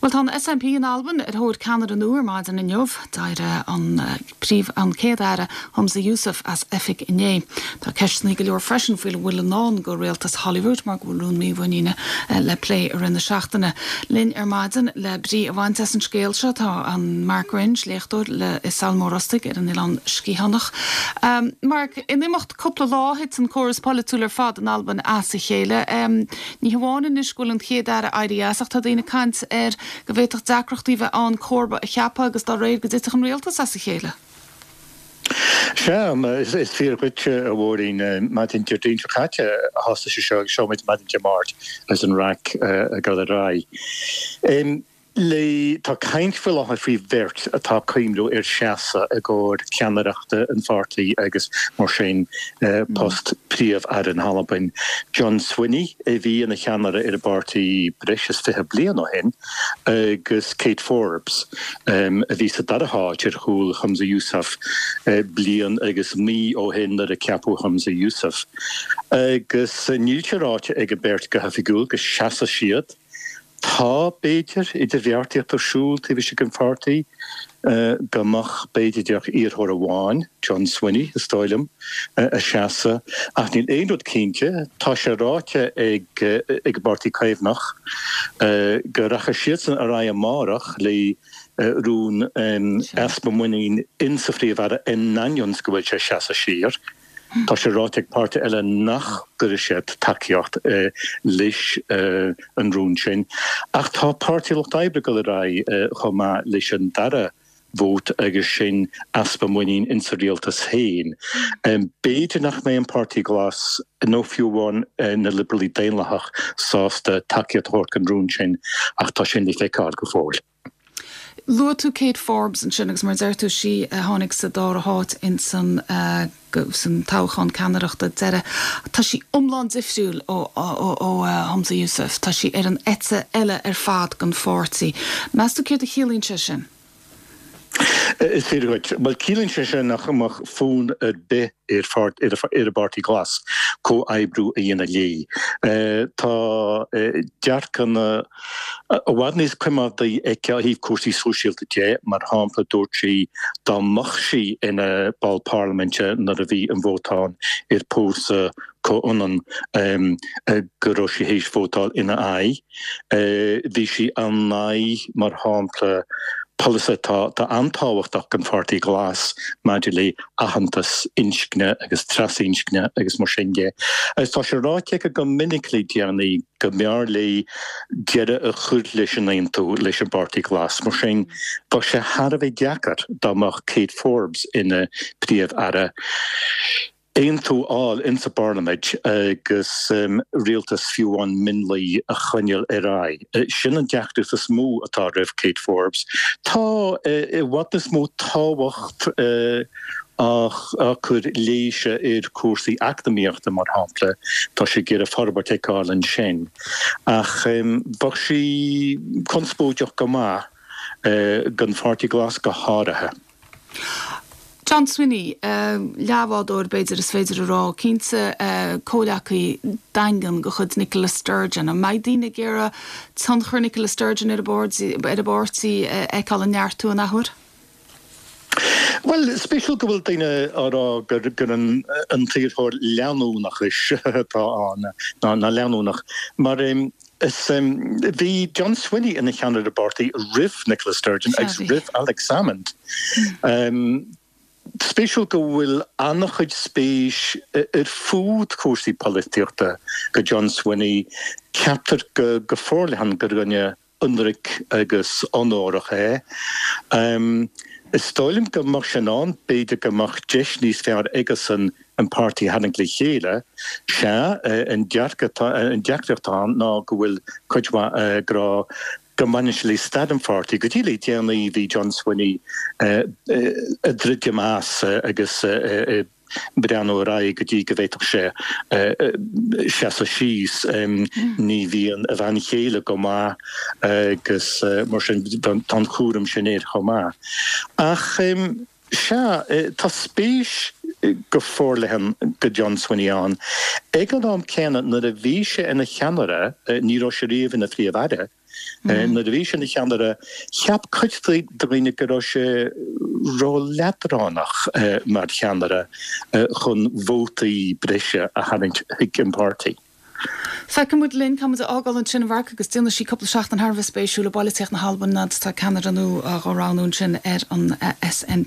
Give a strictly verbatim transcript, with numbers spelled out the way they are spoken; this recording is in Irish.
Well tá an SNP in Albain ar thóir ceannaire nua maidin inniu d'éirigh an príomh an céad-aire Humza Yousaf as oifig inné. Tá ceisteanna go leor freisin faoina bhfuil i ndán do rialtas Holyrood mar go bhfuil rún mímhuiníne le plé i rith na seachtaine. Linn ar maidin le brí a bhaint as an scéal seo tá an Mark Wringe léachtóir le i Sabhal Mòr Ostaig ar an Oileán Sgitheanach. Um, Mark in imeacht cúpla lá thit an córas polaitiúil ar fad in Albain as a chéile. Um, ní hamháin anois go bhfuil an chéad-aire éirithe as ach tá daoine ag caint ar go bhféadfadh deacrachtaí bheith ann comharba a cheapadh agus dá réir go dtitfeadh an rialtas as a chéile. Sea is fíor dhuit a Mháirín maidin Déardaoin seo caite a thosaigh sé seo seo muid maidin Dé Máirt agus an raic ag dul ar aghaidh. Le tá caint faoi láthair faoi bheirt atá ag cuimhneamh ar seasamh i gcomhair ceannaireachta an pháirtí agus mar sin post príomh-aire na hAlbain. John Swinney a bhí ina cheannaire ar an bpáirtí breis is fiche bliain ó shin agus Kate Forbes a bhí sa dara háit ar chúl Humza Yousaf bliain agus mí ó shin nuair a ceapadh Humza Yousaf. Agus níl sé ráite ag an beirt go hoifigiúil go seasfaidh siad. Tá b'fhéidir idirbheartaíocht ar siúl taobh istigh den pháirtí go mbeadh b'fhéidir iarrthóir amháin John Swinney is dóigh liom a sheasamh ach níl aon rud cinnte tá sé ráite ag ag an bPáirtí Caomhnach go rachaidh siadsan ar aghaidh amárach le rún easpa muinín insa phríomh-aire in ainneoin go bhfuil sé seasamh siar. Tá sé ráite ag páirtithe eile nach gcuirfidh siad tacaíocht leis an rún sin. Ach tá Páirtí Lucht Oibre ag dul ar aghaidh chomh maith leis an dara vóta agus sin easpa muinín insa rialtas féin. B'fhéidir nach mbeidh an Páirtí Glas nó fiú amháin na Liobralaigh Daonlathach sásta tacaíocht a thabhairt don rún sin ach tá sin le feiceáil go fóill. Luaigh tú Kate Forbes ansin agus mar deir tú sí a tháinig sa dara háit in san uh, san toghchán ceannaireachta deiridh. Tá sí iomlán difriúil ó, ó, ó uh, Humza Yousaf, Tá sí ar an eite eile ar fad den pháirtí. Meas tú céard a chiallaíonn sé sin? Is fíor dhuit, Well ciallaíonn sé sin nach mbeadh fonn ar bith ar ar an bPáirtí Glas comhoibriú a dhéanamh léi. Tá dearcadh i bhfad níos coimeádaí aici ó thaobh cúrsaí sóisialta de, mar shampla dúirt sí dá mbeadh sí ina ball parlaiminte nuair a bhí an vóta ann ar pósadh comhionann go raibh sí théis vótáil ina aghaidh. Bhí sí in aghaidh mar shampla polasaí atá an-tábhachtach don Pháirtí Glas maidir le aitheantas inscne agus trasinscne agus mar sin de. Agus tá sé ráite aici go minic le déanaí go mb'fhearr léi deireadh a chur leis an aontú leis an bPáirtí Glas mar sin tá sé thar a bheith deacair dá mbeadh Kate Forbes ina príomh-aire. Aontú a fháil insa bparlaimint agus um, rialtas fiú amháin mionlaigh a choinneáil ar aghaidh. Sin an deacracht is mó atá roimh Kate Forbes. Tá i bhfad níos mó tábhacht á chur léise ar cúrsaí eacnamaíochta mar shampla tá sí ag iarraidh forbairt a fheiceáil ansin. Ach um, bheadh sí conspóideach go maith uh, don Pháirtí Glas go háirithe. John Swinney, uh, leathbhádóir b'fhéidir is féidir a rá cinnte uh, comhghleacaí daingean de chuid Nicola Sturgeon. An mbeidh daoine ag iarraidh tionchar Nicola Sturgeon ar ar an bpáirtí uh, fheiceáil ag neartú an athuair? Well spéisiúil go bhfuil daoine á rá gur gur an an t-iarrthóir leanúnachais atá ann ná ná leanúnach mar um, is um, bhí John Swinney ina cheannaire ar an bpáirtí roimh Nicola Sturgeon agus roimh Alex Salmond. Um, Spéisiúil go bhfuil an-chuid spéis ar fud cúrsaí polaitíochta go John Swinney ceaptar go go forleathan gur dhuine ionraic agus onórach é. Um, Is dóigh liom go mbeadh sin ann b'fhéidir go mbeadh deis níos fearr aigesan an páirtí a tharraingt le chéile sé an deacracht ann ná go bhfuil cuid mhaith ag rá go mbaineann sé le staid an pháirtí go dtí le déanaí bhí John Swinney ag druidim as agus breathnú ar aghaidh go dtí go bhféadfadh sé seasamh síos ní bhíonn a bhean chéile go maith agus mar sin tá an cúram sin air chomh maith. Ach sea tá spéis go forleathan go John Swinney ann. Ag an am céanna nuair a bhí sé ina cheannaire ní raibh sé riamh ina phríomh-aire, Nuair a bhí sé ina cheannaire, cheap cuid de dhaoine go raibh sé ró-leadránach mar cheannaire chun vótaí breise a tharraingt chuig an bpáirtí. Feicfidh muid linn cá mbeidh muid ag fágáil ansin a Mharc agus déanfaidh sí cúpla seachtain thar a bheith spéisiúil i bpolaitíocht na hAlban agus tá ceannaire nua á roghnú ansin ar an S N P.